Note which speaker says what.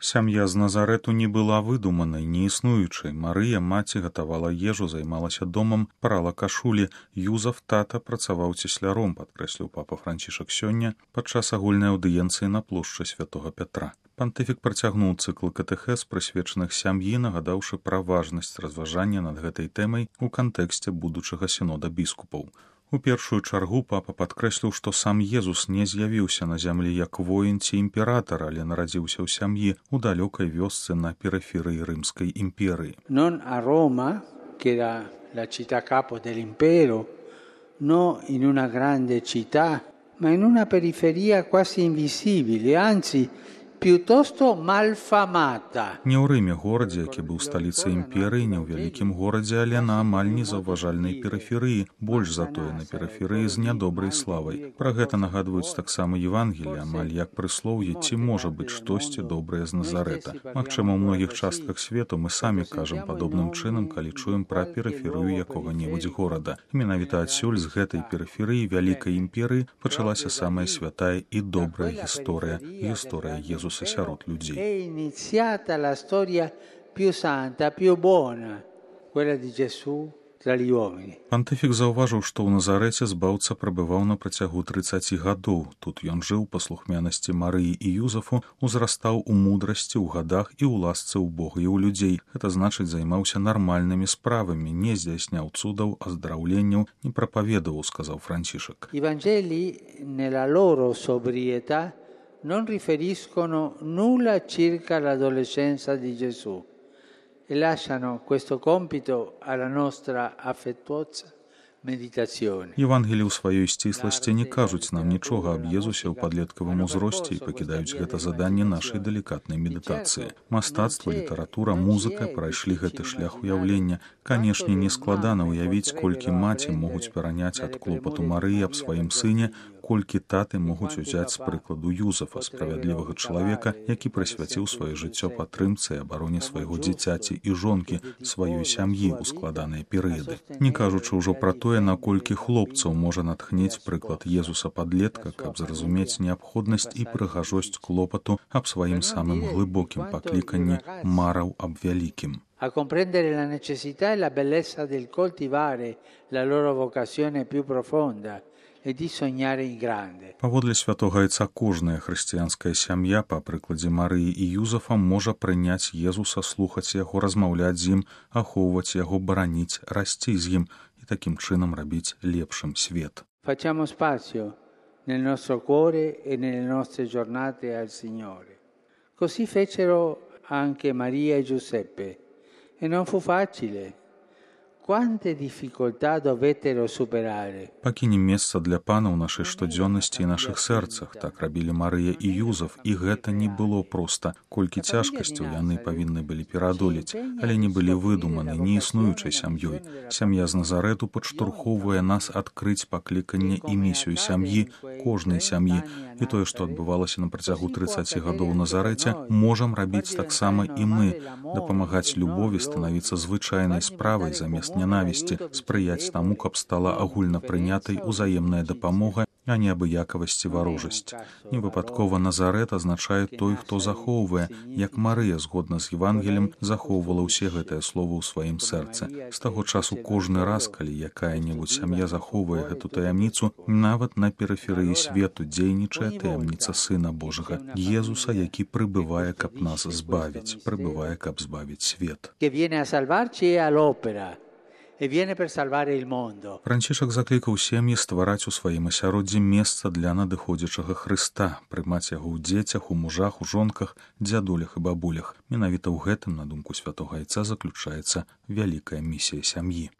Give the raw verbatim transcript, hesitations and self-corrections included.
Speaker 1: Сям'я з Назарэту не была выдуманай, неіснуючай. Марыя, маці, гатавала ежу, займалася домам, прала кашулі. Юзаф, тата, працаваў цесляром, падкрэсліў папа Францішак сёння падчас агульнай аўдыенцыі на плошчы святога Пятра. Пантыфік працягнуў цыкл катэхез, прысвечаных сям'і, нагадаўшы пра важнасць разважання над гэтай тэмай у кантэксце будучага сінода біскупаў. У першую чаргу папа падкрэсліў, што сам Езус не з'явіўся на зямлі як воін ці імператар, але нарадзіўся ў сям'і ў далёкай вёсцы на перыферыі рымскай імперыі.
Speaker 2: Non a Roma, che era la città capo dell'impero, no in una grande città, ma in una periferia quasi invisibile, anzi piuttosto malfamata.
Speaker 1: Не ў Рыме, горадзе, які быў сталіцай імперыі, не ў вялікім горадзе, але на амаль незаўважальнай перыферыі, больш затое на перыферыі з нядобрай славай. Пра гэта нагадваюць таксама Евангелі, амаль як прыслоўе, ці можа быць штосьці добрае з Назарэта. Магчыма, у многіх частках свету мы самі кажам падобным чынам, калі чуем пра перыферыю якога-небудзь горада. Менавіта адсюль з гэтай перыферыі вялікай імперыі пачалася самая святая і добрая гісторыя, гісторыя Езуса сярод людзей.
Speaker 2: È iniziata la storia più santa, più buona, quella di Gesù tra gli uomini.
Speaker 1: Пантыфік заўважыў, што ў Назарэце збаўца прабываў на працягу трыццаці гадоў. Тут ён жыў па слухмянасці Марыі і Юзафу, узрастаў у мудрасці, ў гадах і ў ласцы ў Бога і ў людзей. Гэта значыць, займаўся нармальнымі справамі, не здзяйсняў цудаў, аздараўленняў, не прапаведаваў, сказаў Францішак.
Speaker 2: I Vangeli nella loro sobrietà non riferiscono nulla circa l'adolescenza di Gesù e lasciano questo compito alla nostra affettuosa meditazione.
Speaker 1: Евангелі ў сваёй сцісласці не кажуць нам нічога аб Езусе ў падлеткавым узросце і пакідаюць гэта заданне нашай далікатнай медытацыі. Мастацтва, літаратура, музыка прайшлі гэты шлях уяўлення. Канешне, не складана ўявіць, колькі маці могуць пераняць ад клопату Марыі аб сваім сыне, колькі таты могуць узяць з прыкладу Юзафа, справядлівага чалавека, які прысвяціў сваё жыццё падтрымцы і абароне свайго дзіцяці і жонкі, сваёй сям'і ў складаныя перыяды. Не кажучы ўжо пра тое, наколькі хлопцаў можа натхніць прыклад Езуса падлетка, каб зразумець неабходнасць і прыгажосць клопату аб сваім самым глыбокім пакліканні, мараў аб вялікім.
Speaker 2: A comprendere la necessità e la bellezza del coltivare la loro vocazione più profonda e di sognare in grande.
Speaker 1: Паводле святога Айца кожная хрысціянская сям'я, па прыкладзе Марыі і Юзафа, можа прыняць Езуса, слухаць яго, размаўляць з ім, ахоўваць яго, бараніць, расці з ім і такім чынам рабіць лепшым свет.
Speaker 2: Facciamo spazio nel nostro cuore e nelle nostre giornate al Signore. Così fecero anche Maria e Giuseppe. E non fu facile. Quante difficoltà dovettero superare.
Speaker 1: Пакінем месца для пана ў нашай штодзённасці і нашых сэрцах. Так рабілі Марыя і Юзаф, і гэта не было проста. Колькі цяжкасцяў яны павінны былі пераадолець, але не былі выдуманы, не існуючай сям'ёй. Сям'я з Назарэту падштурхоўвае нас адкрыць пакліканне і місію сям'і, кожнай сям'і. І тое, што адбывалася на працягу трыццаці гадоў у Назарэце, можам рабіць таксама і мы, дапамагаць любові станавіцца звычайнай справай замест нянавісці, спрыяць таму, каб стала агульнапрынятай узаемная дапамога, а не абыякавасць і варожасць. Невыпадкова Назарэт азначае той, хто захоўвае, як Марыя, згодна з Евангелем, захоўвала ўсе гэтыя словы ў сваім сэрцы. З таго часу кожны раз, калі якая-небудзь сям'я захоўвае гэту таямніцу, нават на перыферыі свету дзейнічае таямніца Сына Божага, Езуса, які прыбывае, каб нас збавіць, прыбывае, каб збавіць свет.
Speaker 2: Che viene a salvarci e all'opera. E viene per salvare il mondo.
Speaker 1: Францішак заклікаў сем'і ствараць у сваім асяроддзі месца для надыходзячага Хрыста, прымаць яго ў дзецях, у мужах, у жонках, дзядулях і бабулях. Менавіта ў гэтым, на думку святога Айца, заключаецца вялікая місія сям'і.